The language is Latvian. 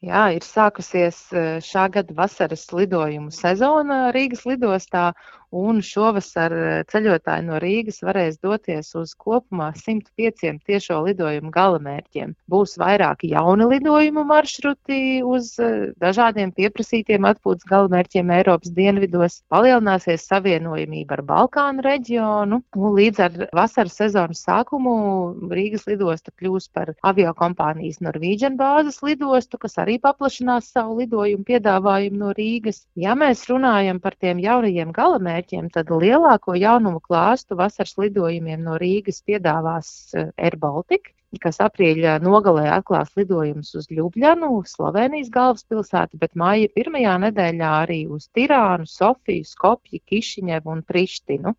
Jā, ir sākusies šā gada vasaras lidojumu sezona Rīgas lidostā, un šovasar ceļotāji no Rīgas varēs doties uz kopumā 105 tiešo lidojumu galamērķiem. Būs vairāki jauni lidojumu maršruti uz dažādiem pieprasītiem atpūtas galamērķiem Eiropas dienvidos, palielināsies savienojamība ar Balkānu reģionu, un līdz ar vasaras sezonas sākumu Rīgas lidosta kļūs par aviokompānijas Norwegian bāzes lidostu, kas arī paplašinās savu lidojumu piedāvājumu no Rīgas. Ja mēs runājam par tiem jaunajiem galamērķiem, tad lielāko jaunumu klāstu vasaras lidojumiem no Rīgas piedāvās Air Baltica, kas aprīļa nogalē atklās lidojumus uz Ljubļanu, Slovenijas galvaspilsētu, bet māja pirmajā nedēļā arī uz Tirānu, Sofiju, Skopju, Kišiņevu un Prištinu.